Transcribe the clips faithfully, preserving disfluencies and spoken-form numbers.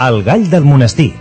El gall del monestir.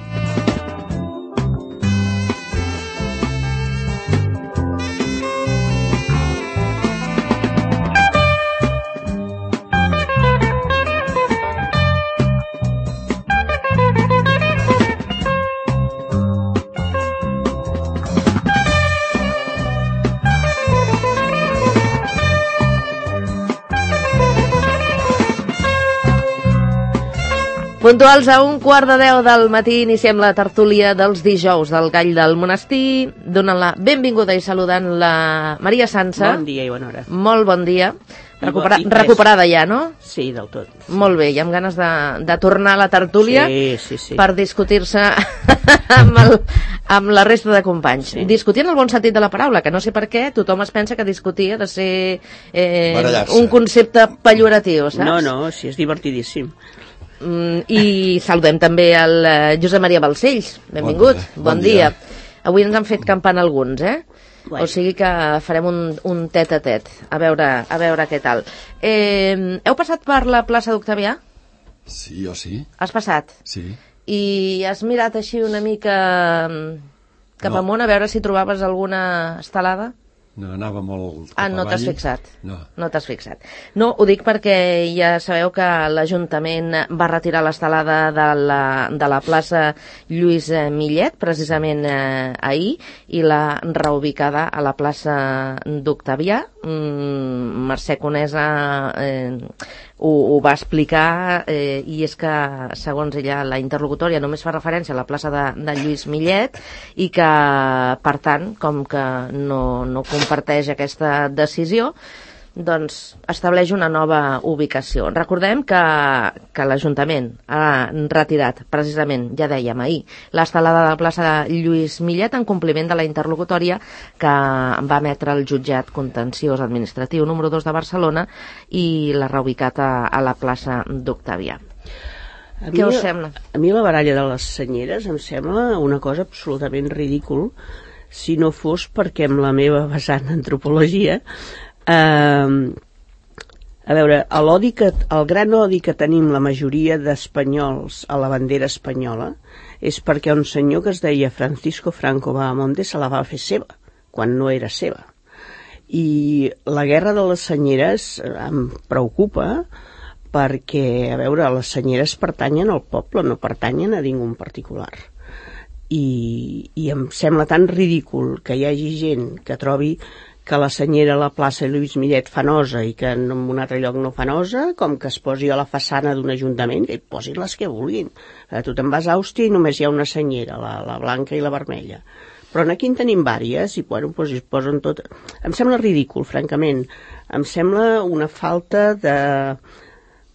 Puntuals a un quart de deu del matí iniciem la tertúlia dels dijous del Gall del Monestir, donant la benvinguda i saludant la Maria Sansa. Bon dia i bona hora. Molt bon dia. Recupera I recuperada ja, no? Sí, del tot. Sí. Molt bé, i amb ganes de, de tornar a la tertúlia sí, sí, sí. per discutir-se amb, el, amb la resta de companys. Sí. Discutir en el bon sentit de la paraula, que no sé per què tothom es pensa que discutir ha de ser eh, un concepte pejoratiu, saps? No, no, sí, és divertidíssim. Mm, i saludem també el uh, Josep Maria Balcells, benvingut, bon, bon, bon dia. dia avui ens han fet campana alguns, eh? Bueno. O sigui que farem un, un tet a tet a veure, a veure què tal. Eh, heu passat per la plaça d'Octavià? Sí, jo sí. Has passat? Sí. I has mirat així una mica cap no. amunt a veure si trobaves alguna estelada? No, anava molt... Ah, no t'has fixat? No. No t'has fixat. No, ho dic perquè ja sabeu que l'Ajuntament va retirar l'estelada de la, de la plaça Lluís Millet, precisament eh, ahir, i l'ha reubicada a la plaça d'Octavià. Mm, Mercè Conesa eh, ho, ho va explicar, eh, i és que, segons ella, la interlocutòria només fa referència a la plaça de, de Lluís Millet i que, per tant, com que no, no comparteix aquesta decisió, doncs estableix una nova ubicació. Recordem que, que l'Ajuntament ha retirat, precisament, ja dèiem ahir, l'estelada de la plaça de Lluís Millet en compliment de la interlocutòria que va emetre el jutjat contenciós administratiu número dos de Barcelona i l'ha reubicat a, a la plaça d'Octavià. Què us sembla? A mi la baralla de les senyeres em sembla una cosa absolutament ridícul, si no fos perquè amb la meva vessant d'antropologia Uh, a veure, l'odi que, el gran odi que tenim la majoria d'espanyols a la bandera espanyola és perquè un senyor que es deia Francisco Franco Bahamonde se la va fer seva, quan no era seva. I la guerra de les senyeres em preocupa perquè, a veure, les senyeres pertanyen al poble, no pertanyen a ningú en particular. I, i em sembla tan ridícul que hi hagi gent que trobi que la senyera a la plaça Lluís Millet fa nosa i que en un altre lloc no fa nosa, com que es posi a la façana d'un ajuntament, que hi posin les que vulguin. Tu te'n vas a Àustria i només hi ha una senyera, la, la blanca i la vermella. Però aquí en tenim vàries i bueno, doncs es posen tot... Em sembla ridícul, francament. Em sembla una falta de,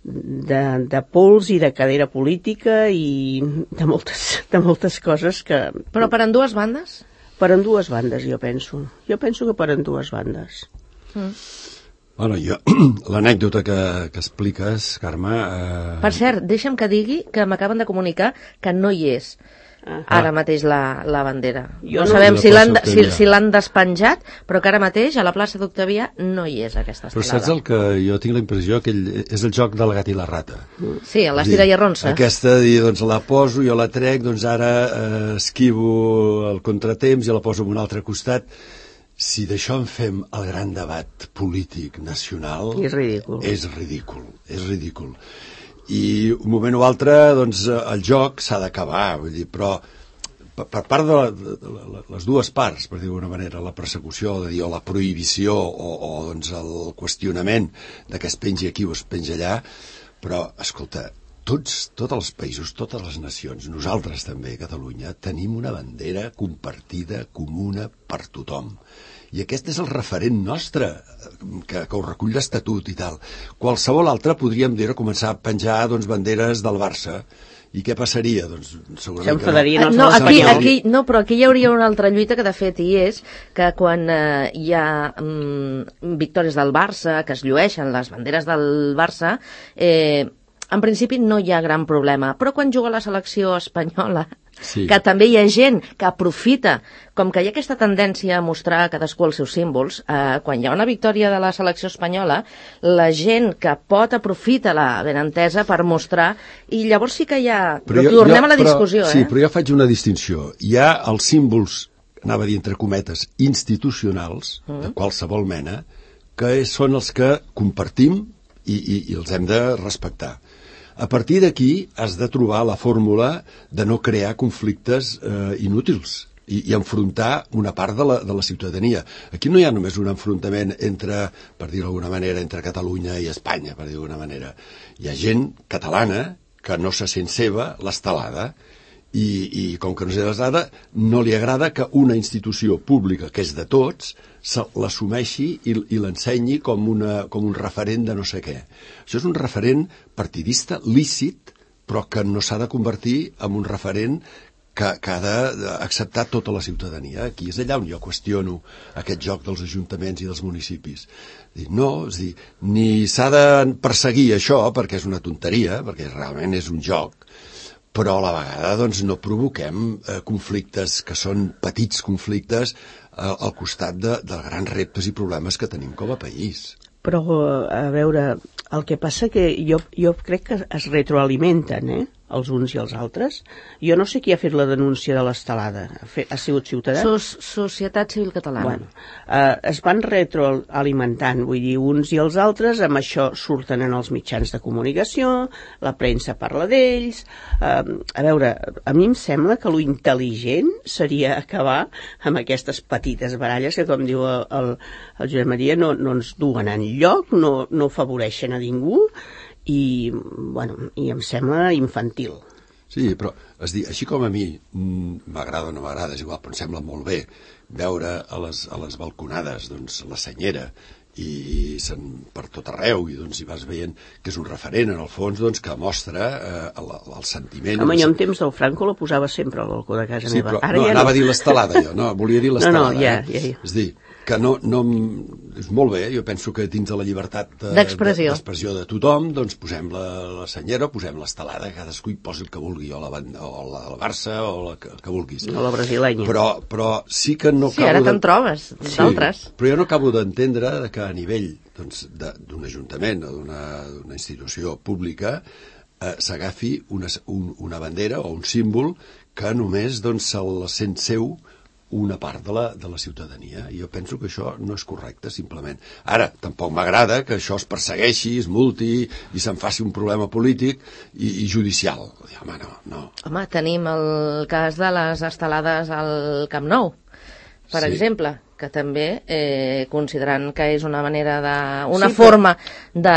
de, de pols i de cadera política i de moltes, de moltes coses que... Però per en dues bandes? Per en dues bandes, jo penso. Jo penso que per en dues bandes. Mm. Bueno, jo, l'anècdota que, que expliques, Carme... Eh... Per cert, deixa'm que digui que m'acaben de comunicar que no hi és ah. ara mateix la, la bandera. Jo no, no sabem si l'han si, si l'han despenjat, però que ara mateix a la plaça d'Octavià no hi és aquesta estelada. Però saps el que jo tinc la impressió que és el joc del gat i la rata. Sí, a l'estira i arronsa. Aquesta, doncs la poso, jo la trec, doncs ara eh, esquivo el contratemps i la poso en un altre costat. Si d'això en fem el gran debat polític nacional... És ridícul. És ridícul, és ridícul. I un moment o altre, doncs, el joc s'ha d'acabar, vull dir, però per, per part de, la, de, de les dues parts, per dir d'alguna manera, la persecució, de dir, o la prohibició, o, o doncs, el qüestionament de que es pengi aquí o es pengi allà, però, escolta, tots, tots els països, totes les nacions, nosaltres també, Catalunya, tenim una bandera compartida, comuna per tothom. I aquest és el referent nostre, que, que ho recull l'Estatut i tal. Qualsevol altre podríem dir començar a penjar doncs, banderes del Barça. I què passaria? Doncs segurament que no. No, aquí, aquí, no, però aquí hi hauria una altra lluita que de fet hi és que quan eh, hi ha mm, victòries del Barça, que es llueixen les banderes del Barça, eh, en principi no hi ha gran problema, però quan juga la selecció espanyola, sí. que també hi ha gent que aprofita, com que hi ha aquesta tendència a mostrar cadascú els seus símbols, eh, quan hi ha una victòria de la selecció espanyola, la gent que pot aprofita la benentesa per mostrar, i llavors sí que hi ha... Però, però jo, tornem jo, a la discussió, però, eh? Sí, però jo faig una distinció. Hi ha els símbols, anava a dir entre cometes, institucionals, mm. de qualsevol mena, que són els que compartim i, i, i els hem de respectar. A partir d'aquí has de trobar la fórmula de no crear conflictes eh, inútils i, i enfrontar una part de la, de la ciutadania. Aquí no hi ha només un enfrontament entre, per dir-ho d'alguna manera, entre Catalunya i Espanya, per dir-ho d'alguna manera. Hi ha gent catalana que no se sent seva l'estelada i, i com que no se l'estelada, no li agrada que una institució pública, que és de tots, l'assumeixi i, i l'ensenyi com, una, com un referent de no sé què. Això és un referent partidista lícit, però que no s'ha de convertir en un referent que, que ha d'acceptar tota la ciutadania. Aquí és allà on jo qüestiono aquest joc dels ajuntaments i dels municipis. No, és dir, ni s'ha de perseguir això perquè és una tonteria, perquè realment és un joc, però a la vegada doncs, no provoquem eh, conflictes que són petits conflictes eh, al costat de, de grans reptes i problemes que tenim com a país. Però, a veure, el que passa que jo, jo crec que es retroalimenten, eh? Els uns i els altres. Jo no sé qui ha fet la denúncia de l'estelada. Ha, fet, ha sigut Ciutadans? Sos, Societat Civil Catalana. Bueno, eh, es van retroalimentant, vull dir, uns i els altres, amb això surten en els mitjans de comunicació, la premsa parla d'ells. Eh, a veure, a mi em sembla que lo intel·ligent seria acabar amb aquestes petites baralles que, com diu el, el, el Josep Maria, no, no ens duen enlloc, no, no afavoreixen a ningú, i, bueno, i em sembla infantil. Sí, però és dir, així com a mi m'agrada o no m'agrada, és igual, però em sembla molt bé veure a les, a les balconades doncs, la senyera i se'n per tot arreu i doncs hi vas veient que és un referent en el fons doncs, que mostra eh, el, el sentiment. Home, jo en temps del Franco la posava sempre al balcó de casa sí, meva. Però, Ara no, ja anava no. a dir l'estelada jo, no, volia dir l'estelada. No, no, ja, eh? ja, ja. És dir, que no, no, és molt bé, jo penso que dins de la llibertat d'expressió de, de, de tothom, doncs posem la, la senyera, posem l'estelada, cadascú hi posi el que vulgui, o la, o la, el Barça, o la que, que vulguis. O la brasilenya. Però, però sí que no sí, acabo... Sí, ara te'n trobes, sí, d'altres. Però jo no acabo d'entendre que a nivell doncs, d'un ajuntament o d'una institució pública eh, s'agafi una, un, una bandera o un símbol que només doncs, se'l sent seu una part de la, de la ciutadania. I jo penso que això no és correcte, simplement. Ara, tampoc m'agrada que això es persegueixi, es multi i se'n faci un problema polític i, i judicial. Home, no, no. Home, tenim el cas de les estelades al Camp Nou, per sí. exemple, que també, eh, considerant que és una manera de... una sí, forma de,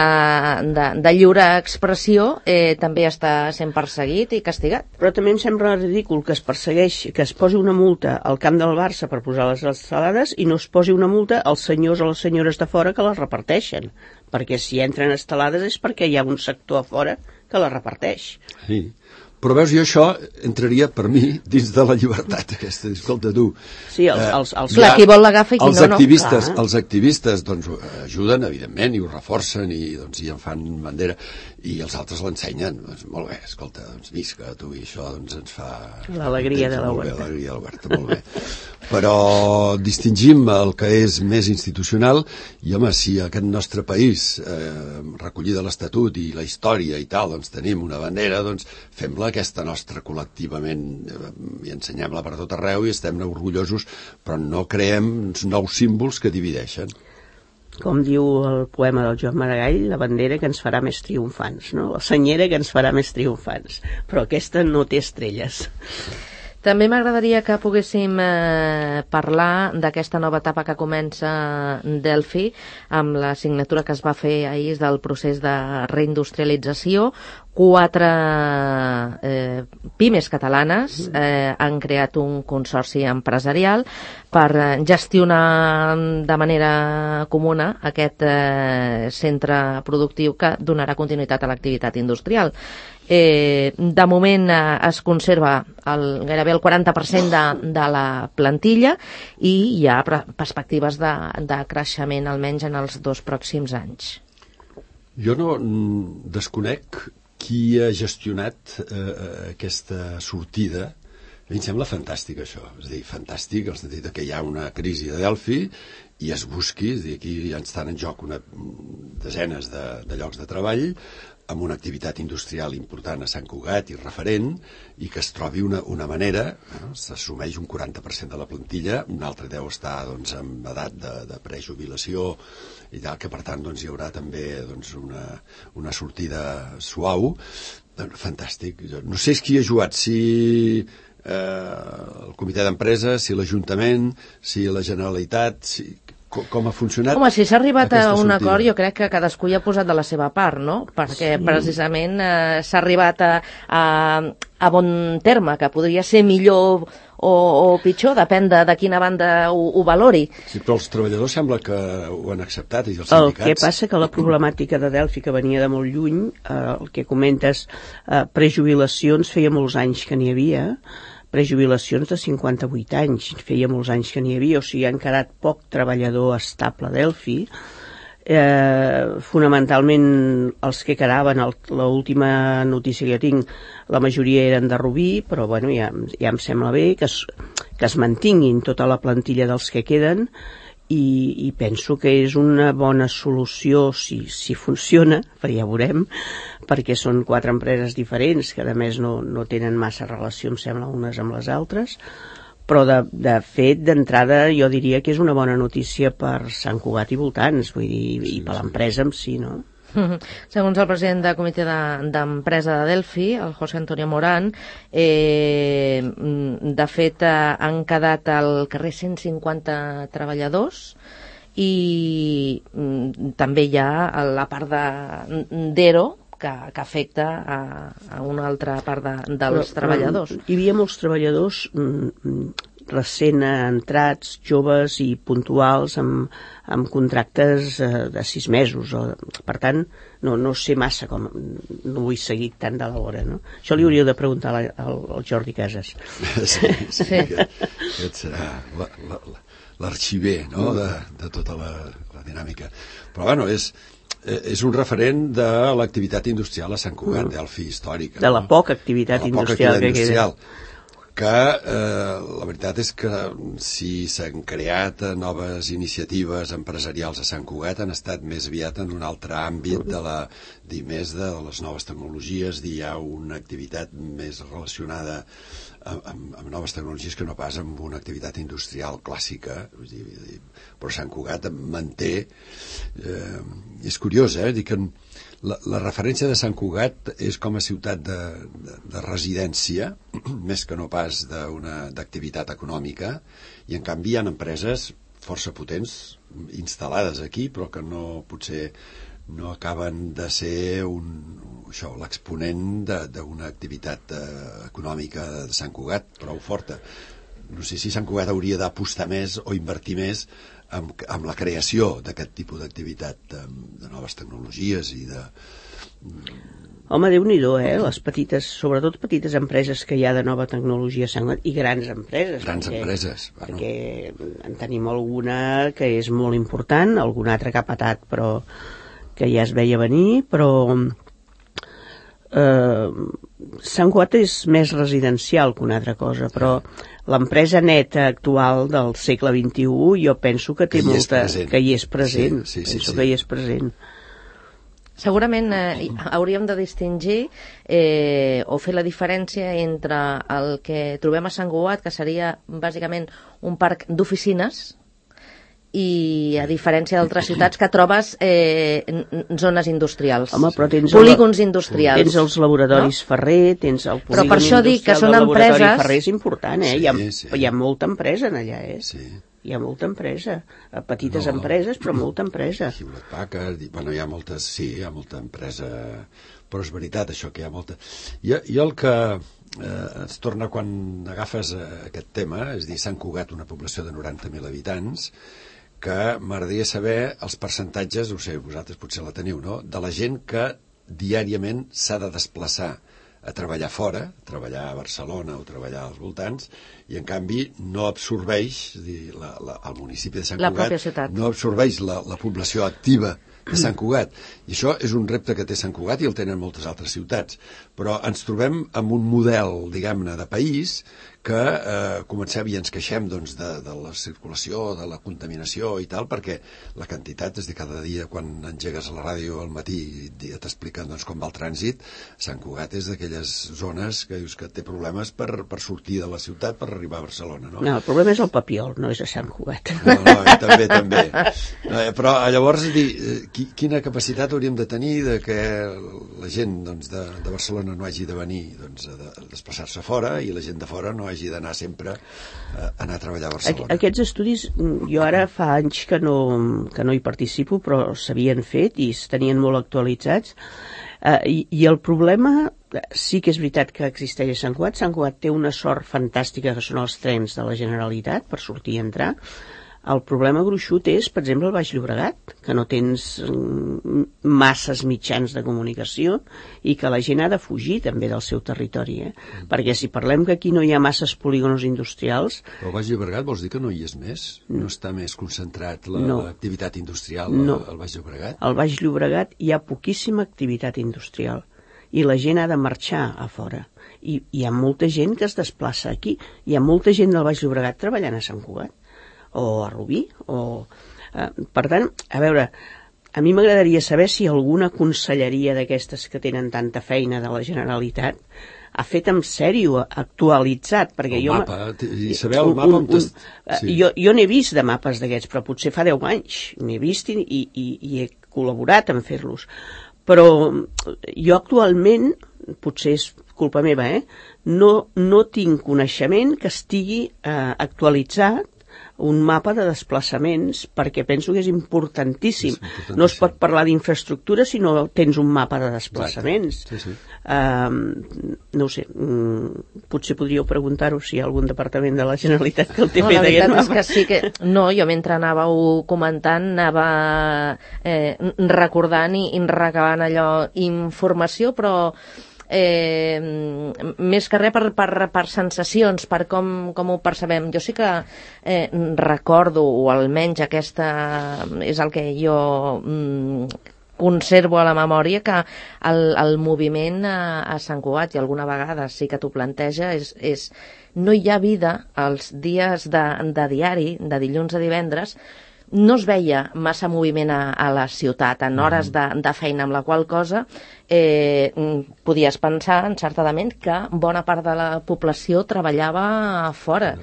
de, de lliure expressió, eh, també està sent perseguit i castigat. Però també em sembla ridícul que es persegueixi, que es posi una multa al camp del Barça per posar les estelades i no es posi una multa als senyors o les senyores de fora que les reparteixen. Perquè si entren estelades és perquè hi ha un sector a fora que les reparteix. Sí. Però veus, jo això entraria per mi dins de la llibertat aquesta, escolta tu. Sí, els, els, els, clar, qui vol l'agafa i qui els no, activistes, no. Els activistes doncs, ajuden, evidentment, i ho reforcen i, doncs, i en fan bandera, i els altres l'ensenyen. Doncs, molt bé, escolta, doncs, visca tu, i això doncs, ens fa... L'alegria de la Huerta. L'alegria de la Huerta, molt bé. Però distingim el que és més institucional i, home, si aquest nostre país, eh, recollida l'Estatut i la història i tal, doncs tenim una bandera, doncs fem-la aquesta nostra col·lectivament eh, i ensenyem-la per tot arreu i estem orgullosos, però no creem nous símbols que divideixen. Com diu el poema del Joan Maragall, la bandera que ens farà més triomfants, no? La senyera que ens farà més triomfants, però aquesta no té estrelles. També m'agradaria que poguéssim eh, parlar d'aquesta nova etapa que comença Delphi amb la signatura que es va fer ahir del procés de reindustrialització. Quatre eh, pimes catalanes eh, han creat un consorci empresarial per gestionar de manera comuna aquest eh, centre productiu que donarà continuïtat a l'activitat industrial. Eh, de moment eh, es conserva el, gairebé el quaranta per cent de, de la plantilla i hi ha perspectives de, de creixement almenys en els dos pròxims anys. Jo no desconec qui ha gestionat eh, aquesta sortida. A mi em sembla fantàstic això, és a dir, fantàstic, en el sentit que hi ha una crisi de Delphi i es busqui, és a dir, aquí ja estan en joc una, desenes de, de llocs de treball, amb una activitat industrial important a Sant Cugat i referent, i que es trobi una, una manera, eh, s'assumeix un quaranta per cent de la plantilla, un altre deu estar doncs, en edat de, de prejubilació i tal, que per tant doncs, hi haurà també doncs, una, una sortida suau. Fantàstic. No sé qui ha jugat, si eh, el comitè d'empresa, si l'Ajuntament, si la Generalitat, si... com ha funcionat. Home, si s'ha arribat a un acord, jo crec que cadascú hi ha posat de la seva part, no? Perquè sí. precisament eh, s'ha arribat a, a, a bon terme, que podria ser millor o, o pitjor, depèn de, de quina banda ho, ho valori. Sí, però els treballadors sembla que ho han acceptat, i els sindicats. El que passa que la problemàtica de Delphi, que venia de molt lluny, eh, el que comentes, eh, prejubilacions, feia molts anys que n'hi havia, prejubilacions de cinquanta-vuit anys, feia molts anys que n'hi havia, o sigui, han quedat poc treballador estable a Delphi. Eh, fonamentalment els que quedaven, l'última notícia que jo tinc, la majoria eren de Rubí, però bueno, ja, ja em sembla bé que es, que es mantinguin tota la plantilla dels que queden, i, i penso que és una bona solució si, si funciona, però ja veurem, perquè són quatre empreses diferents que a més no, no tenen massa relació, em sembla, unes amb les altres, però de, de fet, d'entrada, jo diria que és una bona notícia per Sant Cugat i voltants, vull dir, sí, i per l'empresa en si, no? Segons el president del comitè d'empresa de, de Delphi, el José Antonio Morán, eh, de fet eh, han quedat al carrer cent cinquanta treballadors i mm, també hi ha la part d'Ero que, que afecta a, a una altra part de, dels però, treballadors. Hi havia molts treballadors mm, recent entrats, joves i puntuals amb, amb contractes eh, de sis mesos. O, per tant, no, no sé massa com... No vull seguir tant de l'hora, no? Això li hauríeu de preguntar al, al Jordi Casas. Sí, sí, sí. Aquest, aquest serà l'arxiver, no?, de, de tota la, la dinàmica. Però, bueno, és... és un referent de l'activitat industrial a Sant Cugat, mm. Delphi històrica. De la no? poca activitat de la industrial poca activitat que industrial. queda. Que eh, la veritat és que si s'han creat noves iniciatives empresarials a Sant Cugat han estat més aviat en un altre àmbit de la, dir més de les noves tecnologies, dir hi ha una activitat més relacionada amb, amb, amb noves tecnologies que no pas amb una activitat industrial clàssica. Vull dir, però Sant Cugat manté... Eh, és curiós, eh? Dir que La, la referència de Sant Cugat és com a ciutat de, de, de residència, més que no pas d'activitat econòmica, i en canvi hi ha empreses força potents instal·lades aquí, però que no potser no acaben de ser un, això, l'exponent d'una activitat eh, econòmica de Sant Cugat prou forta. No sé si Sant Cugat hauria d'apostar més o invertir més amb, amb la creació d'aquest tipus d'activitat, de, de noves tecnologies i de... Home, Déu-n'hi-do, eh? Les petites, sobretot petites empreses que hi ha de nova tecnologia i grans empreses. Grans perquè, empreses, bueno. Perquè en tenim alguna que és molt important, alguna altra que ha patat, però que ja es veia venir, però... Eh, Sant Cugat és més residencial que una altra cosa, però l'empresa neta actual del segle vint-i-u jo penso que té que molta... que hi és present. Sí, sí, penso sí, sí. que hi és present. Segurament eh, hauríem de distingir eh, o fer la diferència entre el que trobem a Sant Cugat, que seria bàsicament un parc d'oficines, i a diferència d'altres ciutats que trobes eh, zones industrials. Home, però tens polígons el, industrials. Tens els laboratoris no? Ferrer, tens el polígon però per això dic que són del laboratori empreses... Ferrer és important, eh? Sí, hi, ha, sí. hi ha molta empresa en allà, eh? Sí. Hi ha molta empresa. Petites no, empreses, però molta empresa. Hewlett Packard, bueno, hi ha moltes, sí, hi ha molta empresa, però és veritat això que hi ha molta... I, i el que eh, es torna quan agafes eh, aquest tema, és dir, Sant Cugat, una població de noranta mil habitants, que m'agradaria saber els percentatges, no sé, vosaltres potser la teniu, no?, de la gent que diàriament s'ha de desplaçar a treballar fora, a treballar a Barcelona o treballar als voltants, i en canvi no absorbeix, és dir, la, la, el municipi de Sant la Cugat no absorbeix la, la població activa de Sant Cugat. I això és un repte que té Sant Cugat i el tenen moltes altres ciutats. Però ens trobem amb un model, diguem-ne, de país que eh, comencem i ens queixem doncs, de, de la circulació, de la contaminació i tal, perquè la quantitat, és de cada dia quan engegues a la ràdio al matí i t'expliquen doncs, com va el trànsit, Sant Cugat és d'aquelles zones que dius que té problemes per, per sortir de la ciutat per arribar a Barcelona, no? No, el problema és el Papiol, no és a Sant Cugat. No, no, i també, també. No, però llavors, dir, qui, quina capacitat hauríem de tenir de que la gent doncs, de, de Barcelona no hagi de venir doncs, a, de, a desplaçar-se fora i la gent de fora no hagi d'anar sempre a anar a treballar a Barcelona. Aquests estudis, jo ara fa anys que no, que no hi participo, però s'havien fet i es tenien molt actualitzats. Uh, i, I el problema, sí que és veritat que existeix a Sant Cugat. Sant Cugat té una sort fantàstica que són els trens de la Generalitat per sortir i entrar. El problema gruixut és, per exemple, el Baix Llobregat, que no tens masses mitjans de comunicació i que la gent ha de fugir també del seu territori. Eh? Mm. Perquè si parlem que aquí no hi ha masses polígonos industrials... Però el Baix Llobregat vols dir que no hi és més? No, no està més concentrat l'activitat no. industrial no. al Baix Llobregat? Al Baix Llobregat hi ha poquíssima activitat industrial i la gent ha de marxar a fora. I hi ha molta gent que es desplaça aquí. Hi ha molta gent del Baix Llobregat treballant a Sant Cugat o a Rubí, o... Eh, per tant, a veure, a mi m'agradaria saber si alguna conselleria d'aquestes que tenen tanta feina de la Generalitat ha fet en sèrio, actualitzat, perquè el jo... mapa, i saber el mapa... Un, un, un, sí. Jo, jo n'he vist de mapes d'aquests, però potser fa deu anys n'he vist i, i, i he col·laborat en fer-los. Però jo actualment, potser és culpa meva, eh? no, no tinc coneixement que estigui eh, actualitzat un mapa de desplaçaments, perquè penso que és importantíssim. És importantíssim. No es pot parlar d'infraestructura si no tens un mapa de desplaçaments. Sí, sí. Uh, no ho sé, um, potser podríeu preguntar-ho si hi ha algun departament de la Generalitat que el té no, fet aquest mapa. És que sí que... No, jo mentre anàveu comentant anava eh, recordant i, i recabant allò informació, però Eh, més que res per, per, per sensacions, per com, com ho percebem. Jo sí que eh, recordo, o almenys aquesta és el que jo mm, conservo a la memòria, que el, el moviment a, a Sant Cugat, i alguna vegada sí que t'ho planteja, és, és no hi ha vida els dies de, de diari, de dilluns a divendres. No es veia massa moviment a, a la ciutat en hores de, de feina, amb la qual cosa eh, podies pensar encertadament que bona part de la població treballava fora.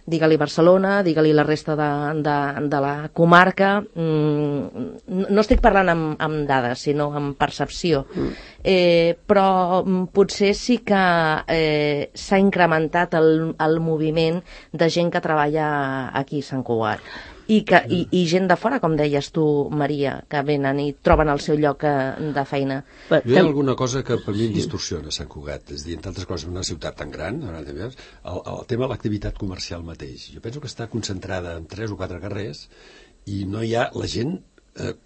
Digue-li Barcelona, digue-li la resta de, de, de la comarca. Mm, no estic parlant amb, amb dades, sinó amb percepció. Eh, però potser sí que eh, s'ha incrementat el, el moviment de gent que treballa aquí a Sant Cugat. I, que, i, i gent de fora, com deies tu, Maria, que venen i troben el seu lloc de feina. Jo hi ha alguna cosa que per mi em distorsiona Sant Cugat, és a dir, entre altres coses, una ciutat tan gran, el, el tema de l'activitat comercial mateix. Jo penso que està concentrada en tres o quatre carrers i no hi ha la gent... Eh,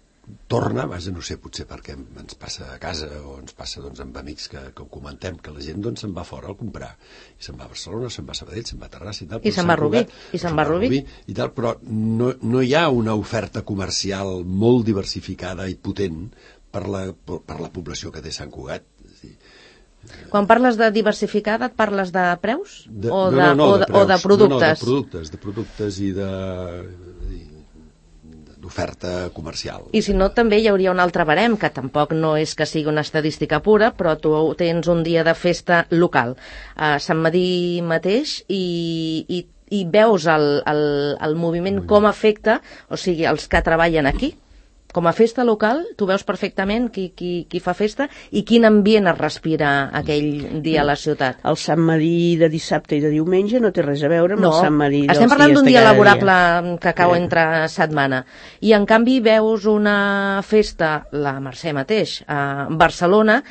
torna, vaja, no sé, potser perquè ens passa a casa o ens passa doncs, amb amics que, que ho comentem, que la gent doncs, se'n va fora a comprar. I se'n va a Barcelona, se'n va a Sabadell, se'n va a Terrassa i tal. I se'n va a Rubí. I se'n va a Rubí. I tal, però no, no hi ha una oferta comercial molt diversificada i potent per la, per la població que té Sant Cugat. Quan parles de diversificada, et parles de preus? De, o, no, de, no, no, o, de, de preus. o de productes? No, no, de productes, de productes i de... d'oferta comercial. I si no, també hi hauria un altre barem, que tampoc no és que sigui una estadística pura, però tu tens un dia de festa local a Sant Medir mateix i, i, i veus el, el, el moviment com afecta, o sigui, els que treballen aquí. Com a festa local, tu veus perfectament qui, qui, qui fa festa i quin ambient es respira aquell dia a la ciutat. El Sant Medir de dissabte i de diumenge no té res a veure amb no, el Sant Medir dels dies de cada dia. Estem parlant d'un dia laborable que cau eh. entre setmana. I en canvi veus una festa, la Mercè mateix, a Barcelona,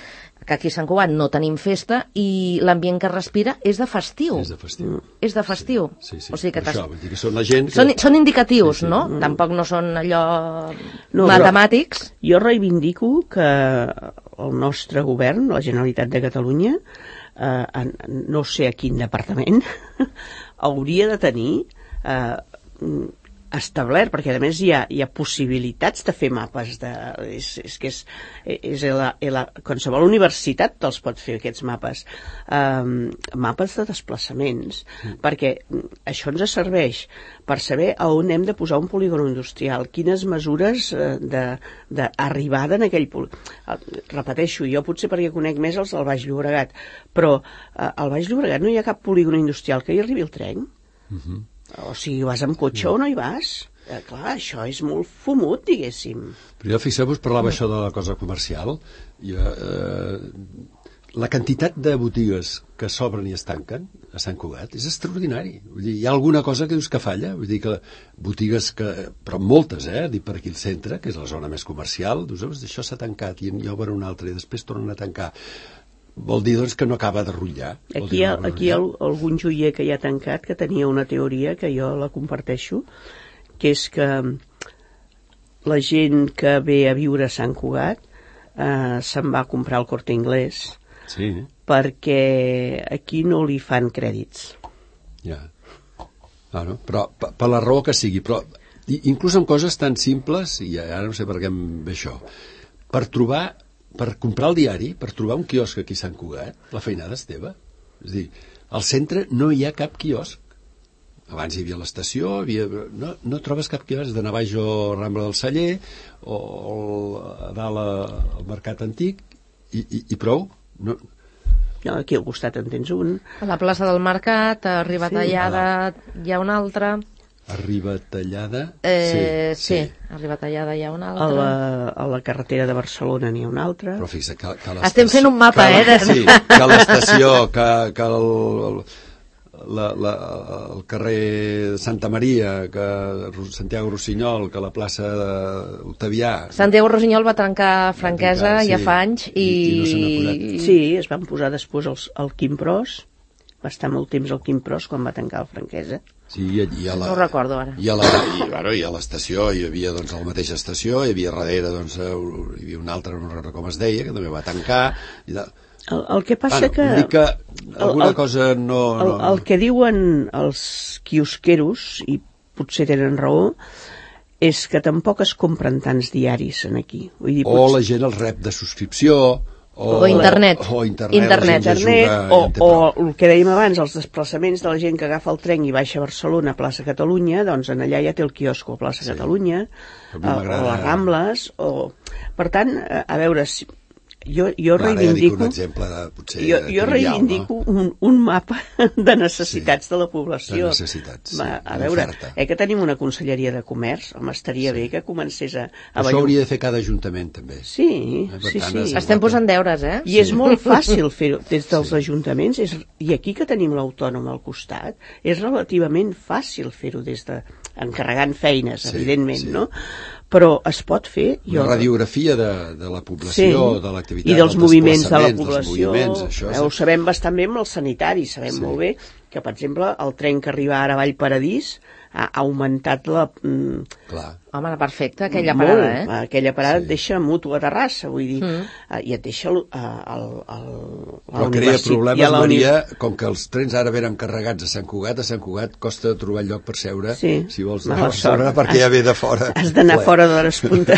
que aquí a Sant Cugat no tenim festa i l'ambient que respira és de festiu. És de festiu. Mm. És de festiu. Sí, sí, sí. O sigui que això, vull dir que són la gent que... Són, són indicatius, sí, sí. no? Mm. Tampoc no són allò no, matemàtics. Jo reivindico que el nostre govern, la Generalitat de Catalunya, eh, no sé a quin departament, hauria de tenir eh, establert, perquè a més hi ha, hi ha possibilitats de fer mapes de, és, és que és, és la, la, qualsevol universitat te'ls pot fer aquests mapes um, mapes de desplaçaments mm. perquè això ens serveix per saber a on hem de posar un polígon industrial, quines mesures d'arribada en aquell polígon. Repeteixo, jo potser perquè conec més els del Baix Llobregat, però uh, al Baix Llobregat no hi ha cap polígon industrial que hi arribi el tren. Mm-hmm. O sigui, vas amb cotxe mm. o no hi vas? Eh, clar, això és molt fumut, diguéssim. Però jo, fixeu-vos, parlava mm. això de la cosa comercial. Jo, eh, la quantitat de botigues que s'obren i es tanquen a Sant Cugat és extraordinari. Vull dir, hi ha alguna cosa que dius que falla? Vull dir que botigues que... Però moltes, eh? Dic per aquí al centre, que és la zona més comercial, dius, això s'ha tancat i hi obre una altra i després tornen a tancar. Vol dir, doncs, que no acaba de rotllar. Aquí hi ha, aquí hi ha algun joier que hi ha tancat que tenia una teoria que jo la comparteixo, que és que la gent que ve a viure a Sant Cugat eh, se'n va a comprar el Corte Inglés sí. perquè aquí no li fan crèdits. Ja. Ah, no? Però per, per la raó que sigui, però inclús en coses tan simples, i ara no sé per què em ve això, per trobar per comprar el diari, per trobar un quiosc aquí a Sant Cugat, la feinada és teva. És a dir, al centre no hi ha cap quiosc. Abans hi havia l'estació, havia... no, no trobes cap quiosc, has d'anar baix a Rambla del Celler o, o a dalt al Mercat Antic i, i, i prou. No... no, aquí al costat en tens un. A la plaça del Mercat, a Ribatallada, sí. Hi ha un altre... A Ribatallada... Eh, sí, sí, sí, a Ribatallada hi ha un altre. A la, a la carretera de Barcelona n'hi ha un altre. Però fixa, que, que estem fent un mapa, que, eh? De... Sí, que l'estació, que, que el, la, la, el carrer de Santa Maria, que Santiago Rossinyol, que la plaça d'Octavià... Santiago Rossinyol va trencar franquesa sí, ja fa anys i... i, i no se n'ha posat. Sí, es van posar després el, el Quim Pros, va estar molt temps al Quim Pros quan va tancar el franquesa. Sí, i, i a la, no ho recordo ara. I a la, i, bueno, i a l'estació hi havia doncs, a la mateixa estació, hi havia darrere doncs, hi havia una altra, no recordo com es deia, que també va tancar. I de... el, el que passa bueno, que... que alguna el, cosa no... no... El, el que diuen els quiosqueros, i potser tenen raó, és que tampoc es compren tants diaris en aquí. Vull dir, o potser... la gent els rep de subscripció... O, o internet. O internet. internet. internet o, o el que dèiem abans, els desplaçaments de la gent que agafa el tren i baixa a Barcelona, a plaça Catalunya, doncs en allà ja té el quiosco a plaça sí. Catalunya, a, a les Rambles, o... Per tant, a veure, si... jo, jo Clar, reivindico... Ja un exemple de, potser jo, jo trivial, reivindico no? un, un mapa de necessitats sí, de la població. De necessitats, sí. Va, a veure, eh, que tenim una conselleria de comerç, home, estaria sí. bé que comencés a... a Això hauria de fer cada ajuntament, també. Sí, eh, sí, tant, sí. Estem posant deures, eh? I sí. és molt fàcil fer-ho des dels sí. ajuntaments, és, i aquí que tenim l'autònom al costat, és relativament fàcil fer-ho des de... encarregant feines, sí, evidentment, sí. no? Però es pot fer... Jo... Una radiografia de, de la població, sí. de l'activitat, i dels, dels moviments de la població. Això, eh, ho sabem bastant bé amb els sanitaris, sabem sí. molt bé que, per exemple, el tren que arriba ara a Vallparadís ha augmentat la... Mm, Clar. Home, perfecte, aquella parada, molt, eh? Aquella parada sí. et deixa mutu a Terrassa, vull dir, mm. uh, i et deixa el, uh, el, el, Però crea problemes, Maria, com que els trens ara venen carregats a Sant Cugat, a Sant Cugat costa trobar lloc per seure, sí. si vols anar a Barcelona, perquè has, ja ve de fora. Has d'anar fora de l'hora punta.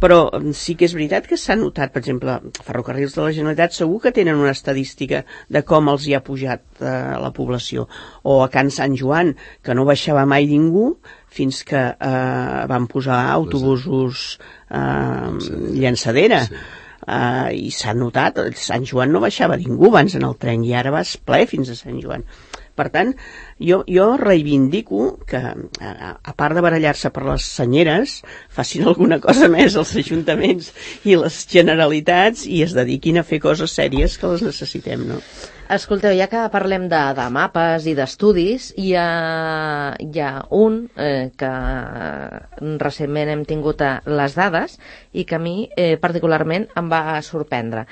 Però sí que és veritat que s'ha notat, per exemple, Ferrocarrils de la Generalitat segur que tenen una estadística de com els hi ha pujat uh, la població. O a Can Sant Joan, que no baixava mai ningú, fins que eh, van posar autobusos eh, llançadera. Sí. Uh, i s'ha notat, Sant Joan no baixava ningú abans en el tren i ara vas ple fins a Sant Joan. Per tant, jo, jo reivindico que, a, a part de barallar-se per les senyeres, facin alguna cosa més els ajuntaments i les generalitats i es dediquin a fer coses sèries que les necessitem, no? Escolteu, ja que parlem de, de mapes i d'estudis, hi ha, hi ha un eh, que recentment hem tingut a les dades i que a mi eh, particularment em va sorprendre.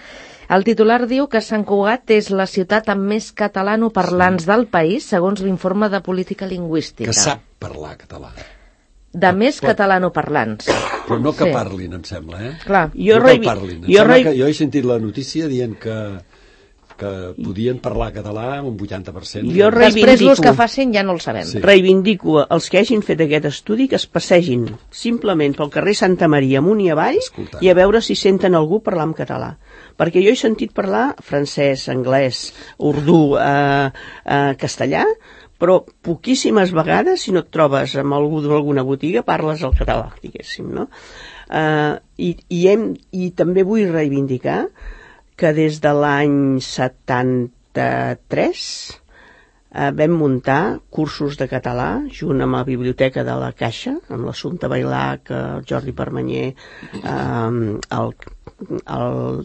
El titular diu que Sant Cugat és la ciutat amb més catalanoparlants sí. del país, segons l'informe de política lingüística. Que sap parlar català. De més Pot... catalanoparlants. Però no que sí. parlin, em sembla, eh? Clar. Jo, no revi... que parlin. Em jo, re... que jo he sentit la notícia dient que que podien parlar català amb un vuitanta per cent. Jo Després els que facin ja no el sabem. Sí. Reivindico els que hagin fet aquest estudi que es passegin simplement pel carrer Santa Maria amunt i avall Escolta. I a veure si senten algú parlar en català. Perquè jo he sentit parlar francès, anglès, urdú, eh, eh, castellà, però poquíssimes vegades, si no et trobes amb algú d'alguna botiga, parles el català, diguéssim, no? Uh, i, i, hem, i també vull reivindicar que des de l'any setanta-tres uh, vam muntar cursos de català junt amb la biblioteca de la Caixa, amb l'Assumpta Bailac, el Jordi Permanyer, uh, el, el,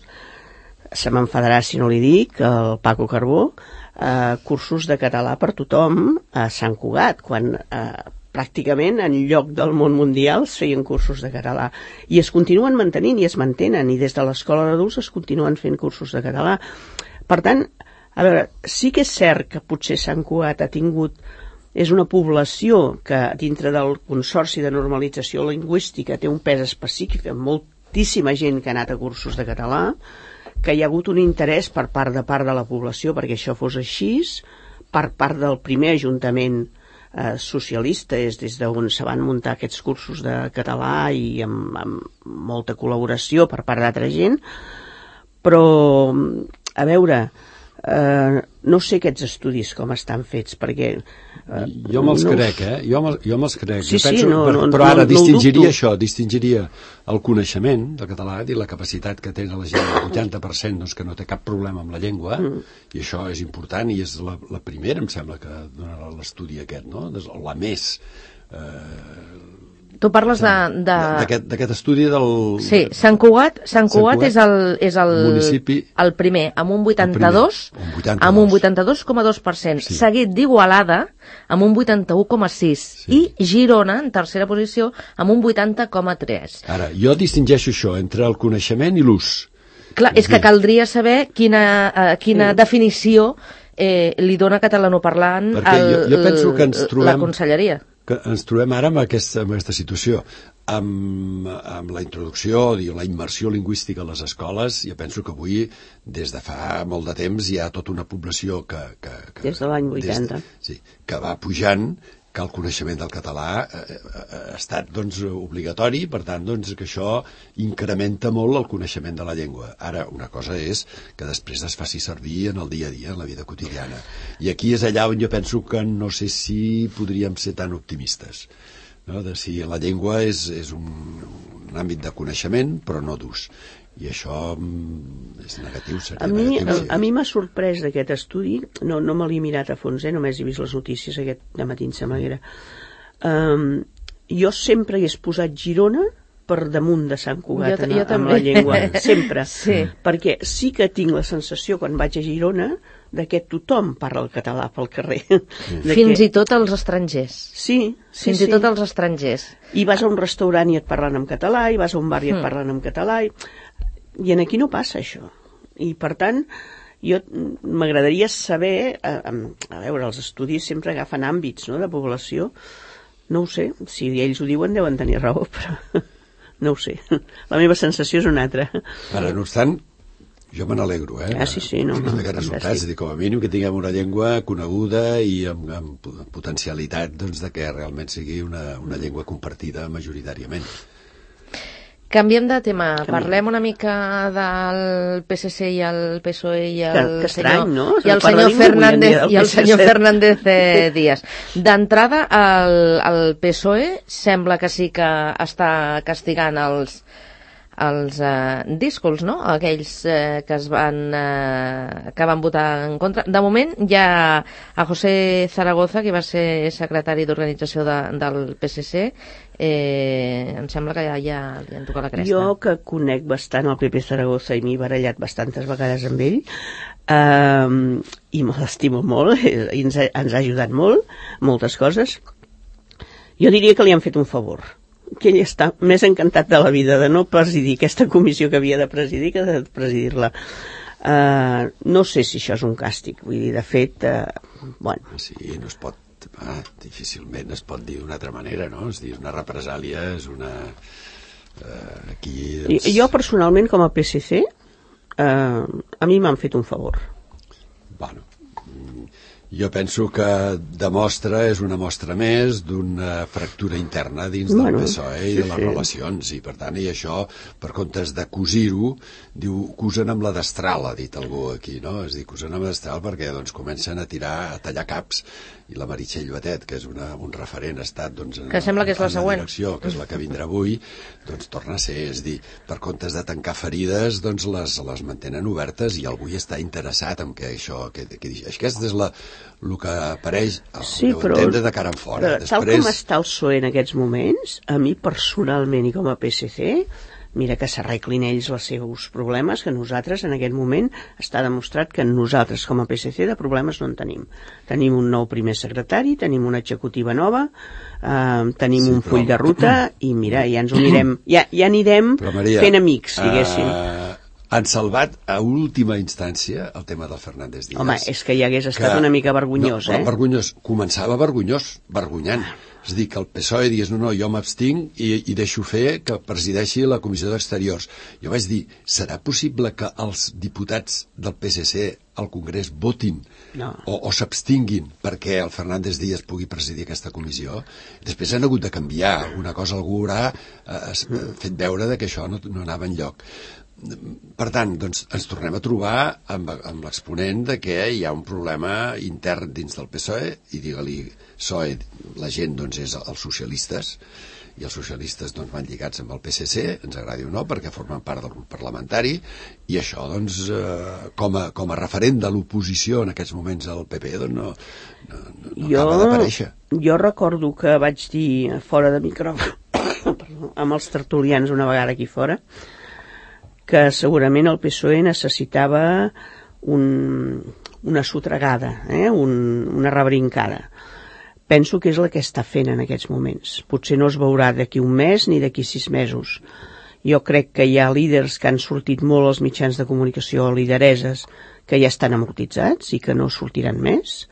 se m'enfadarà si no li dic, el Paco Carbó, uh, cursos de català per tothom a Sant Cugat, quan... Uh, pràcticament en lloc del món mundial es feien cursos de català i es continuen mantenint i es mantenen i des de l'escola d'adults es continuen fent cursos de català. Per tant, a veure, sí que és cert que potser Sant Cugat ha tingut, és una població que dintre del Consorci de Normalització Lingüística té un pes específic amb moltíssima gent que ha anat a cursos de català, que hi ha hagut un interès per part de part de la població perquè això fos així, per part del primer ajuntament Eh, socialista, és des d'on se van muntar aquests cursos de català i amb, amb molta col·laboració per part d'altra gent, però a veure, eh, no sé aquests estudis com estan fets, perquè eh, jo me'ls no... crec, eh? Jo me'ls, jo me'ls crec. Sí, jo penso, sí, no, però, no, però ara no, distingiria no això, distingiria el coneixement del català i la capacitat que té la gent, el vuitanta per cent doncs, que no té cap problema amb la llengua, mm. i això és important i és la, la primera, em sembla, que donarà l'estudi aquest, no? La més... Eh, Tu parles de... d'aquest estudi del... Sí, Sant Cugat, Sant Cugat, Sant Cugat és el, és el, municipi, el primer, amb un vuitanta-dos, primer, amb un vuitanta-dos coma dos per cent, sí. Seguit d'Igualada, amb un vuitanta-u coma sis, sí. I Girona, en tercera posició, amb un vuitanta coma tres. Ara, jo distingeixo això entre el coneixement i l'ús. Clar, és que caldria saber quina, uh, quina sí. definició eh, li dona catalanoparlant el, jo, jo penso que ens trobem... la conselleria. Que ens trobem ara amb aquesta, amb aquesta situació. Amb, amb la introducció, la immersió lingüística a les escoles, jo penso que avui, des de fa molt de temps, hi ha tota una població que... que, que des de l'any vuitanta. De, sí, que va pujant, que el coneixement del català ha, ha estat doncs, obligatori, per tant doncs, que això incrementa molt el coneixement de la llengua. Ara, una cosa és que després es faci servir en el dia a dia, en la vida quotidiana. I aquí és allà on jo penso que no sé si podríem ser tan optimistes, no? De si la llengua és, és un, un àmbit de coneixement, però no d'ús. I això és negatiu, seria a mi, negatiu. Sí. A, a mi m'ha sorprès d'aquest estudi, no, no me l'he mirat a fons, eh? Només he vist les notícies aquest dematí, em sembla que era. Um, jo sempre hagués posat Girona per damunt de Sant Cugat jo, en, jo amb la llengua, sempre. Sí. Perquè sí que tinc la sensació, quan vaig a Girona, de que tothom parla el català pel carrer. Mm. Fins que... i tot els estrangers. Sí, sí, Fins sí. i tot els estrangers. I vas a un restaurant i et parlen en català, i vas a un bar i et parlen en català, i... I en aquí no passa això. I, per tant, jo m'agradaria saber... A, a veure, els estudis sempre agafen àmbits, no?, de població. No ho sé. Si ells ho diuen, deuen tenir raó, però no ho sé. La meva sensació és una altra. Ara, no obstant, jo me n'alegro, eh? Ah, sí, sí, no, no. D'aquests resultats, és dir, com a mínim que tinguem una llengua coneguda i amb, amb potencialitat doncs, de que realment sigui una, una llengua compartida majoritàriament. Canviem de tema. Canviem. Parlem una mica del P S C i el P S O E i el que, que senyor, estrany, no? i el senyor Fernández i el senyor Fernández eh, Díaz. D'entrada, el, el P S O E sembla que sí que està castigant els els eh, díscols, no? Aquells eh, que es van eh, que van votar en contra. De moment hi ha a José Zaragoza, que va ser secretari d'organització de, del P S C, eh, em sembla que ja, ja li han tocat la cresta. Jo, que conec bastant el Pepe Zaragoza i m'he barallat bastantes vegades amb ell, eh, i me l'estimo molt, i ens ha, ens ha ajudat molt, moltes coses, jo diria que li han fet un favor, que ell està més encantat de la vida de no presidir aquesta comissió que havia de presidir que de presidir-la. Uh, no sé si això és un càstig, vull dir, de fet, uh, bueno... Sí, no es pot, ah, difícilment es pot dir d'una altra manera, no? És dir, una represàlia, és una... Uh, aquí... Doncs... Jo, personalment, com a P S C, uh, a mi m'han fet un favor. Bueno, jo penso que demostra, és una mostra més d'una fractura interna dins del Bueno, P S O E i sí, de les sí. relacions, i per tant, i això, per comptes de cosir-ho, diu, cosen amb la destral, ha dit algú aquí, no? És dir, cosen amb la destral perquè doncs, comencen a tirar, a tallar caps, i la Meritxell Batet, que és una, un referent, ha estat doncs, en, Que sembla que és la en següent. direcció, que és la que vindrà avui, doncs torna a ser, és dir, per comptes de tancar ferides, doncs les, les mantenen obertes, i algú hi està interessat en que això, que, que, aquest és la, el que apareix al Sí, meu però, entendre de cara en fora. però tal com està el P S O E en aquests moments, a mi personalment i com a P S C, mira que s'arreglin ells els seus problemes, que nosaltres en aquest moment està demostrat que nosaltres com a P S C de problemes no en tenim. Tenim un nou primer secretari, tenim una executiva nova, eh, tenim Sí, un però- full de ruta i mira, ja ens ho anirem, ja, ja anirem Però, Maria, fent amics, diguéssim. Uh, han salvat a última instància el tema del Fernández Díaz. Home, és que ja hagués estat una mica vergonyós, no, eh? Vergonyós. Començava vergonyós, vergonyant. És a dir, que el P S O E digués, no, no, jo m'abstinc i, i deixo fer que presideixi la Comissió d'Exteriors. Jo vaig dir, serà possible que els diputats del P S C al Congrés votin No. o, o s'abstinguin perquè el Fernández Díaz pugui presidir aquesta comissió? Després han hagut de canviar. Una cosa algú haurà eh, fet veure de que això no, no anava enlloc. Per tant, doncs, ens tornem a trobar amb, amb l'exponent de que hi ha un problema intern dins del P S O E, i digue-li P S O E, la gent doncs, és els socialistes, i els socialistes doncs, van lligats amb el P S C, ens agradi o no, perquè formen part del grup parlamentari, i això, doncs, eh, com, a, com a referent de l'oposició en aquests moments al P P, doncs, no, no, no, no jo, acaba d'aparèixer. Jo recordo que vaig dir fora de micròfon perdó, amb els tertulians una vegada aquí fora, que segurament el P S O E necessitava un, una sotregada, eh? un, una rebrincada. Penso que és la que està fent en aquests moments. Potser no es veurà d'aquí un mes ni d'aquí sis mesos. Jo crec que hi ha líders que han sortit molt als mitjans de comunicació, lidereses, que ja estan amortitzats i que no sortiran més,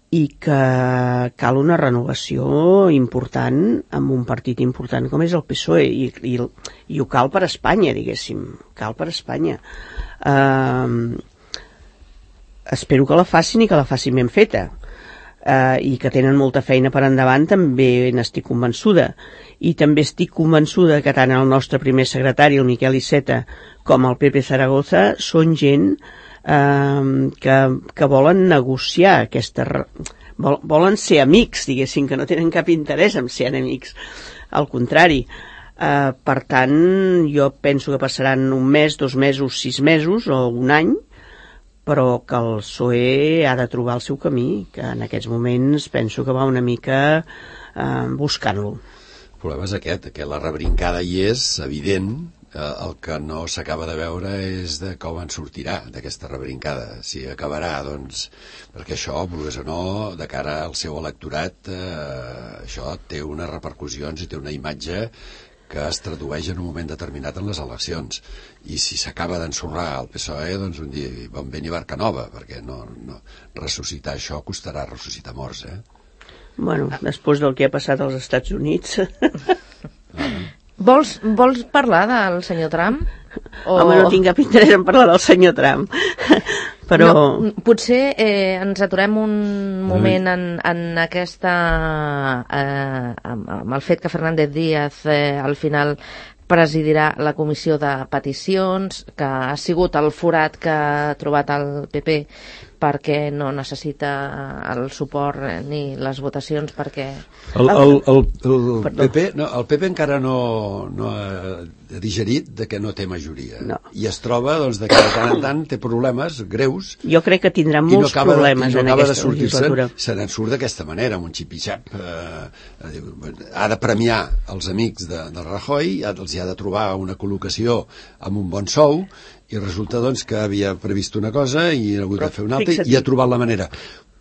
i que cal una renovació important amb un partit important com és el P S O E, i, i, i ho cal per Espanya, diguéssim, cal per Espanya. Uh, espero que la facin i que la facin ben feta, uh, i que tenen molta feina per endavant, també n'estic convençuda, i també estic convençuda que tant el nostre primer secretari, el Miquel Iceta, com el Pepe Zaragoza són gent Uh, que, que volen negociar aquesta, vol, volen ser amics, diguéssim, que no tenen cap interès en ser enemics, al contrari. Uh, per tant, jo penso que passaran un mes, dos mesos, sis mesos o un any, però que el P S O E ha de trobar el seu camí, que en aquests moments penso que va una mica uh, buscant-lo. El problema és aquest, que la rebrincada hi és evident. El que no s'acaba de veure és de com en sortirà d'aquesta rebrincada, si acabarà, doncs, perquè això, vulguis o no, de cara al seu electorat, eh, això té unes repercussions i té una imatge que es tradueix en un moment determinat en les eleccions, i si s'acaba d'ensorrar el P S O E, doncs un dia bon vent i barca nova, perquè no, no, ressuscitar això costarà ressuscitar morts, eh? Bueno, després del que ha passat als Estats Units... Vols, vols parlar del senyor Trump? O... Home, no tinc cap interès en parlar del senyor Trump. Però... No, potser eh, ens aturem un moment en, en aquesta... Eh, amb, amb el fet que Fernández Díaz eh, al final presidirà la comissió de peticions, que ha sigut el forat que ha trobat el P P perquè no necessita el suport ni les votacions perquè... El, el, el, el, P P, no, el P P encara no, no ha digerit de que no té majoria. No. I es troba doncs, de que de tant en tant té problemes greus. Jo crec que tindrà molts no problemes de, no en aquesta legislatura. legislatura. Se n'en surt d'aquesta manera, amb un xip-i-xap. Eh, ha de premiar els amics de, del Rajoy, els hi ha de trobar una col·locació amb un bon sou, i resulta doncs, que havia previst una cosa i ha hagut de fer una altra i ha trobat la manera.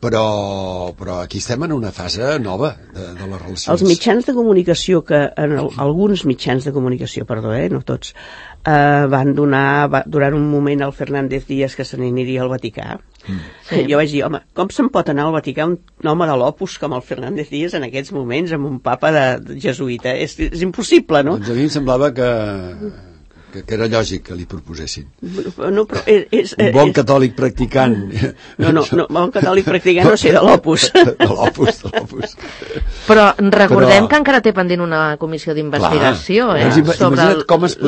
Però, però aquí estem en una fase nova de, de les relacions. Els mitjans de comunicació, que en el, alguns mitjans de comunicació, perdó, eh, no tots, eh, van donar va, durant un moment al Fernández Díaz que se n'aniria al Vaticà. Mm. Sí. Jo vaig dir, home, com se'n pot anar al Vaticà un home de l'Opus com el Fernández Díaz en aquests moments amb un papa de, de jesuïta? És, és impossible, no? Doncs a mi em semblava que... que, que era lògic que li proposessin. No, però és, és, un bon és... catòlic practicant. No, no, no, bon catòlic practicant no sé, de l'Opus. De l'Opus, de l'Opus. Però recordem però... que encara té pendent una comissió d'investigació eh, doncs sobre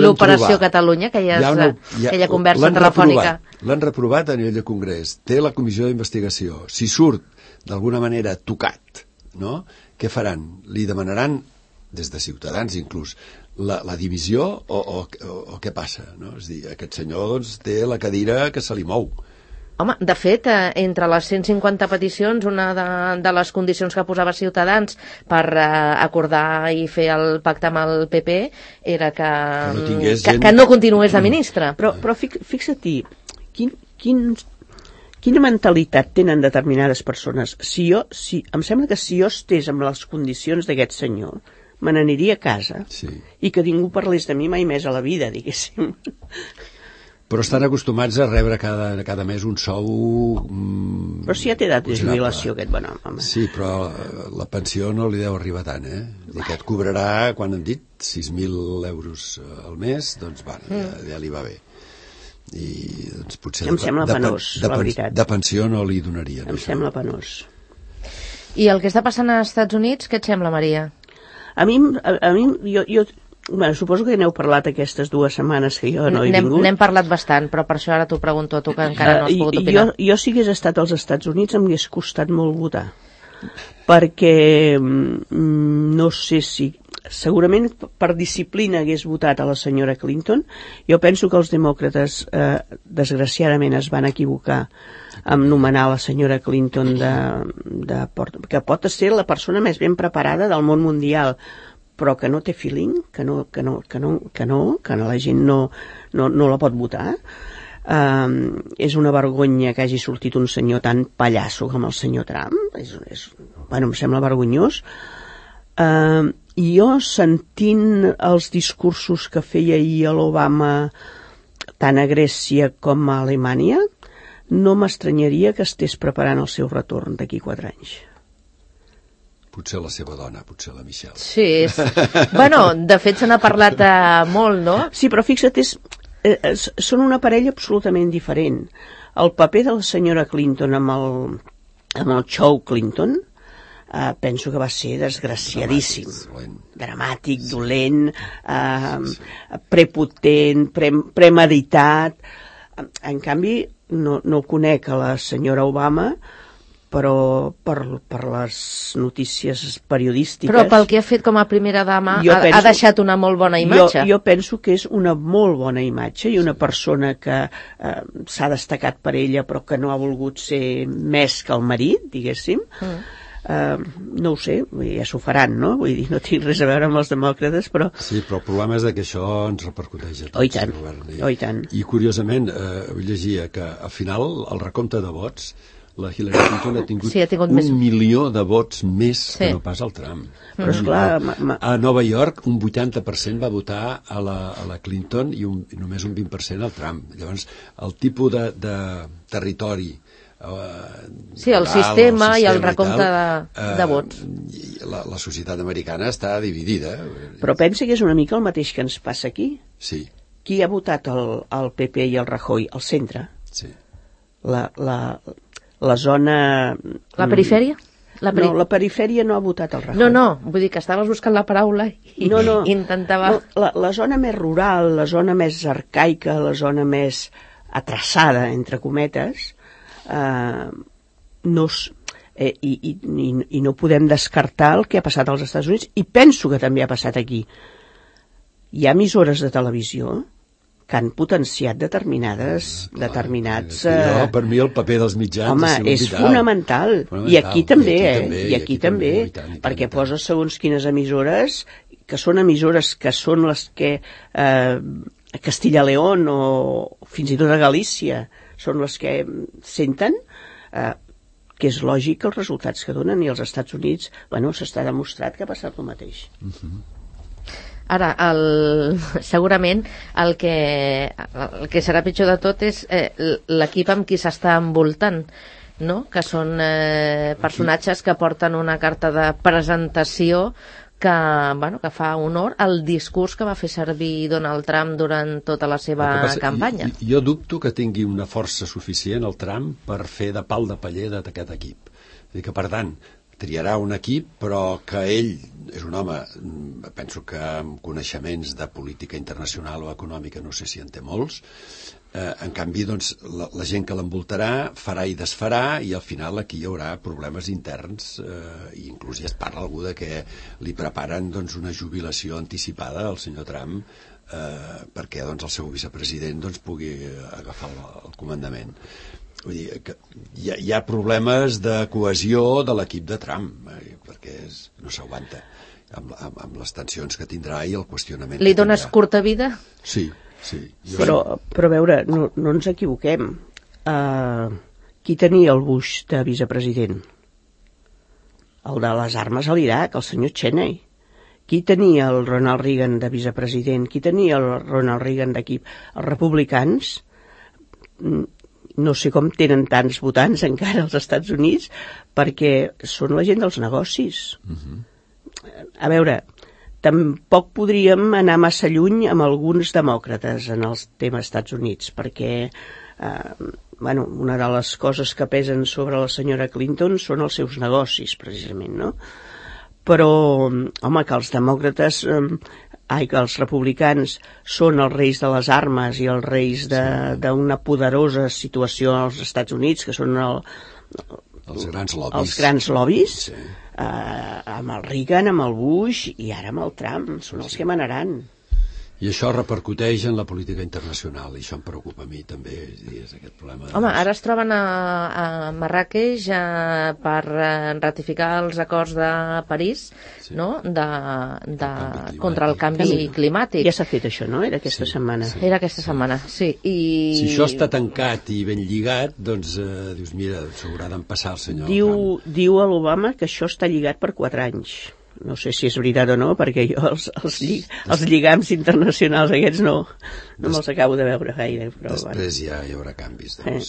l'operació trobar. Catalunya, que ja és una, ja, aquella conversa telefònica. L'han reprovat a nivell de Congrés, té la comissió d'investigació. Si surt d'alguna manera tocat, no? Què faran? Li demanaran, des de Ciutadans inclús, la, la divisió o, o, o, o què passa? No? És dir, aquest senyor doncs, té la cadira que se li mou. Home, de fet, eh, entre les cent cinquanta peticions, una de, de les condicions que posava Ciutadans per eh, acordar i fer el pacte amb el P P era que, que, no, tingués que, gent... que no continués de ministre. Però, però fixa-t'hi, quin, quin, quina mentalitat tenen determinades persones? Si jo, si, em sembla que si jo estés amb les condicions d'aquest senyor, me n'aniria a casa sí. i que ningú parlés de mi mai més a la vida, diguéssim. Però estan acostumats a rebre cada, cada mes un sou... Mm, però si ja té edat de jubilació aquest bon home. Sí, però la pensió no li deu arribar tant, eh? I que et cobrarà, quan han dit, sis mil euros al mes, doncs va, ja, ja li va bé. I doncs potser... Em sembla de, penós, de, la de, veritat. De pensió no li donarien. Em això. sembla penós. I el que està passant als Estats Units, què et sembla, Maria? A mi, a, a mi jo, jo bueno, suposo que n'heu parlat aquestes dues setmanes que jo no he vingut. N'hem parlat bastant, però per això ara t'ho pregunto a tu, que encara no has pogut opinar. Jo, jo si hagués estat als Estats Units em hagués costat molt votar, perquè no sé si... Segurament per disciplina hagués votat a la senyora Clinton. Jo penso que els demòcrates eh, desgraciadament es van equivocar amb nomenar la senyora Clinton de, de Port... que pot ser la persona més ben preparada del món mundial, però que no té feeling, que no, que no, que no, que no, que la gent no, no, no la pot votar. Um, és una vergonya que hagi sortit un senyor tan pallasso com el senyor Trump. És, és, bueno, em sembla vergonyós. Uh, jo, sentint els discursos que feia ahir a l'Obama tant a Grècia com a Alemanya, no m'estranyaria que estés preparant el seu retorn d'aquí quatre anys. Potser la seva dona, potser la Michelle. Sí, és... bueno, de fet se n'ha parlat eh, molt, no? Sí, però fixa't, és, eh, són una parella absolutament diferent. El paper de la senyora Clinton amb el, amb el show Clinton eh, penso que va ser desgraciadíssim. Dramàtic, Dramàtic sí. dolent, eh, sí. prepotent, pre, premeditat. En canvi, no, no conec a la senyora Obama, però per, per les notícies periodístiques... Però pel que ha fet com a primera dama ha, penso, ha deixat una molt bona imatge. Jo, jo penso que és una molt bona imatge i una persona que eh, s'ha destacat per ella però que no ha volgut ser més que el marit, diguéssim. Mm. Eh, no ho sé, ja s'ho faran, no? Vull dir, no tinc res a veure amb els demòcrates, però... Sí, però el problema és que això ens repercuteix a tots. Oh, i tant, I, oh, i tant. I curiosament, eh, llegia que al final el recompte de vots la Hillary Clinton ha tingut, sí, ha tingut un més... milió de vots més sí. que no pas el Trump. Però esclar, ma, ma... A Nova York un vuitanta per cent va votar a la, a la Clinton i, un, i només un vint per cent al Trump. Llavors, el tipus de, de territori eh, sí, el, rural, sistema, el sistema i el recompte i tal, de, eh, de vots. La, la societat americana està dividida. Però pensa que és una mica el mateix que ens passa aquí. Sí. Qui ha votat el, el P P i el Rajoy? El centre. Sí. La... la la zona... La perifèria? La peri... No, la perifèria no ha votat el Rajoy. No, no, vull dir que estaves buscant la paraula i no, no. intentava... No, la, la zona més rural, la zona més arcaica, la zona més atrasada, entre cometes, eh, no, eh, i, i, i, i no podem descartar el que ha passat als Estats Units, i penso que també ha passat aquí. Hi ha emissores de televisió que han potenciat determinades, clar, determinats... Eh, jo, per mi el paper dels mitjans home, ha sigut és vital. Fonamental. fonamental. I aquí també, I aquí eh? també, I aquí també, també, i tant, i tant, perquè i tant. posa segons quines emissores, que són emissores que són les que eh, a Castilla-León o fins i tot a Galícia són les que senten, eh, que és lògic els resultats que donen, i als Estats Units, bueno, s'està demostrat que ha passat el mateix. Uh-huh. Ara, el, segurament el que, el que serà pitjor de tot és eh, l'equip amb qui s'està envoltant, no? Que són eh, personatges que porten una carta de presentació que, bueno, que fa honor al discurs que va fer servir Donald Trump durant tota la seva passa, campanya. Jo, jo dubto que tingui una força suficient el Trump per fer de pal de paller d'aquest equip. És dir, que per tant, triarà un equip, però que ell és un home, penso que amb coneixements de política internacional o econòmica, no sé si en té molts, eh, en canvi, doncs, la, la gent que l'envoltarà farà i desfarà, i al final aquí hi haurà problemes interns, eh, i inclús ja es parla algú de que li preparen doncs, una jubilació anticipada al senyor Trump, eh, perquè doncs, el seu vicepresident doncs, pugui agafar el, el comandament. Vull dir, que hi ha, hi ha problemes de cohesió de l'equip de Trump, eh, perquè és, no s'aguanta amb, amb, amb les tensions que tindrà i el qüestionament. Li dones curta vida? Sí, sí. Jo... Però, però a veure, no, no ens equivoquem. Uh, qui tenia el Bush de vicepresident? El de les armes a l'Iraq, el senyor Cheney. Qui tenia el Ronald Reagan de vicepresident? Qui tenia el Ronald Reagan d'equip? Els republicans... no sé com tenen tants votants encara als Estats Units, perquè són la gent dels negocis. Uh-huh. A veure, tampoc podríem anar massa lluny amb alguns demòcrates en els temes Estats Units, perquè eh, bueno, una de les coses que pesen sobre la senyora Clinton són els seus negocis, precisament, no? Però, home, que els demòcrates... Eh, ai, que els republicans són els reis de les armes i els reis d'una sí. poderosa situació als Estats Units, que són el, els grans lobbies, els grans lobbies sí. eh, amb el Reagan, amb el Bush i ara amb el Trump, són els que manaran. I això repercuteix en la política internacional, i això em preocupa a mi també, és aquest problema. Home, ara es troben a, a Marràqueix eh, per eh, ratificar els acords de París, sí. no?, de, de, el contra el canvi sí. climàtic. Ja s'ha fet això, no?, era aquesta sí, setmana. Sí. Era aquesta setmana, sí. I... Si això està tancat i ben lligat, doncs, eh, dius, mira, s'haurà d'empassar el senyor. Diu, diu a l'Obama que això està lligat per quatre anys. No sé si és veritat o no, perquè jo els, els, lli, els lligams internacionals aquests no, no Des, me'ls acabo de veure gaire. Però, després bueno. ja hi haurà canvis, doncs.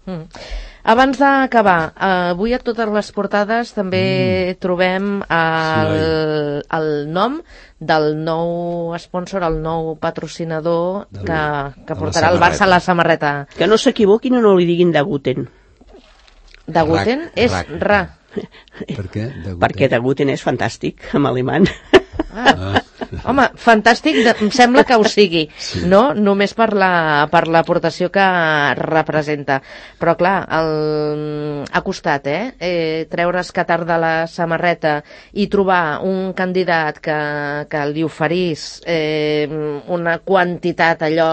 Eh. Mm. Abans d'acabar, avui a totes les portades també mm. trobem el, sí, el nom del nou sponsor, el nou patrocinador de que, que portarà el Barça a la samarreta. Que no s'equivoquin o no li diguin Daguten. Daguten és rac. ra. Per què? Daguten? Perquè Daguten és fantàstic, en alemany. Ah. Home, fantàstic, de, em sembla que ho sigui, sí. no? Només per la, per l'aportació que representa. Però clar, el, ha costat, eh? eh? Treure's Qatar de la samarreta i trobar un candidat que, que li oferís eh, una quantitat allò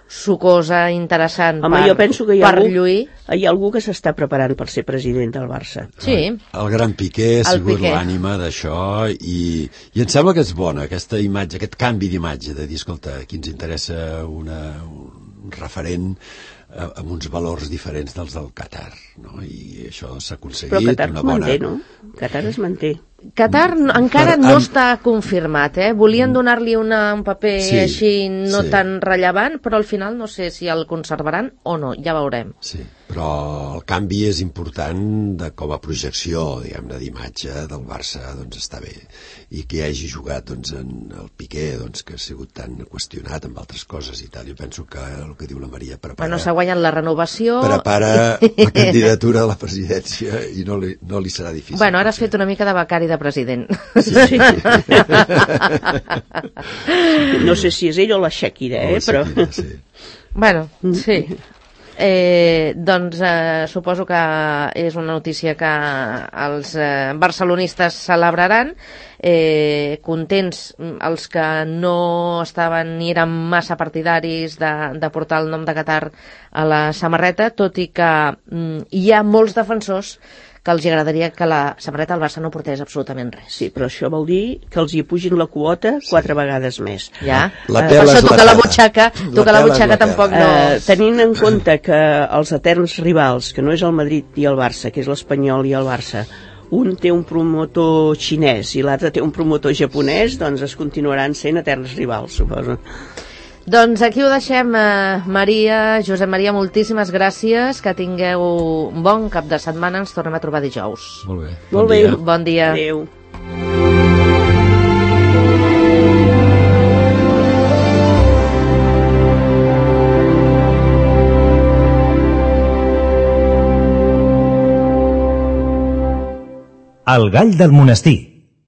sucosa, interessant. Home, per, jo penso que hi ha, per algú, lluir. hi ha algú que s'està preparant per ser president del Barça. Sí. El gran Piqué ha sigut l'ànima d'això i, i em sembla que és bona aquesta imatge, aquest canvi d'imatge de dir, escolta, aquí ens interessa una, un referent eh, amb uns valors diferents dels del Qatar, no? I això s'ha aconseguit. Però Qatar una es bona... manté, no? Qatar es manté. Qatar encara per, no amb... està confirmat, eh? Volien donar-li una, un paper sí, així no sí. tan rellevant, però al final no sé si el conservaran o no, ja veurem. Sí, però el canvi és important de, com a projecció, diguem-ne, d'imatge del Barça, doncs està bé. I que hagi jugat doncs, en el Piqué, doncs, que ha sigut tan qüestionat amb altres coses i tal. Jo penso que el que diu la Maria prepara... Bueno, s'ha guanyat la renovació... Prepara la candidatura a la presidència i no li, no li serà difícil. Bueno, ara has fet una mica de becari de president. Sí, sí. No sé si és ell o la Shakira, eh? O la Shakira, però... sí. Bueno, sí. Eh, doncs eh, suposo que és una notícia que els eh, barcelonistes celebraran, eh, contents els que no estaven ni eren massa partidaris de, de portar el nom de Qatar a la samarreta, tot i que mm, hi ha molts defensors que els agradaria que la samarreta al Barça no portés absolutament res. Sí, però això vol dir que els hi pugin la quota quatre sí. vegades més. Ja, la per això tocar la butxaca, tocar la butxaca tampoc no... Uh, tenint en compte que els eterns rivals, que no és el Madrid i el Barça, que és l'Espanyol i el Barça, un té un promotor xinès i l'altre té un promotor japonès, doncs es continuaran sent eterns rivals, suposo. Doncs aquí ho deixem, eh, Maria, Josep Maria, moltíssimes gràcies, que tingueu un bon cap de setmana, ens tornem a trobar dijous. Molt bé. Molt bé. Bon dia. Adéu. El gall del monestir.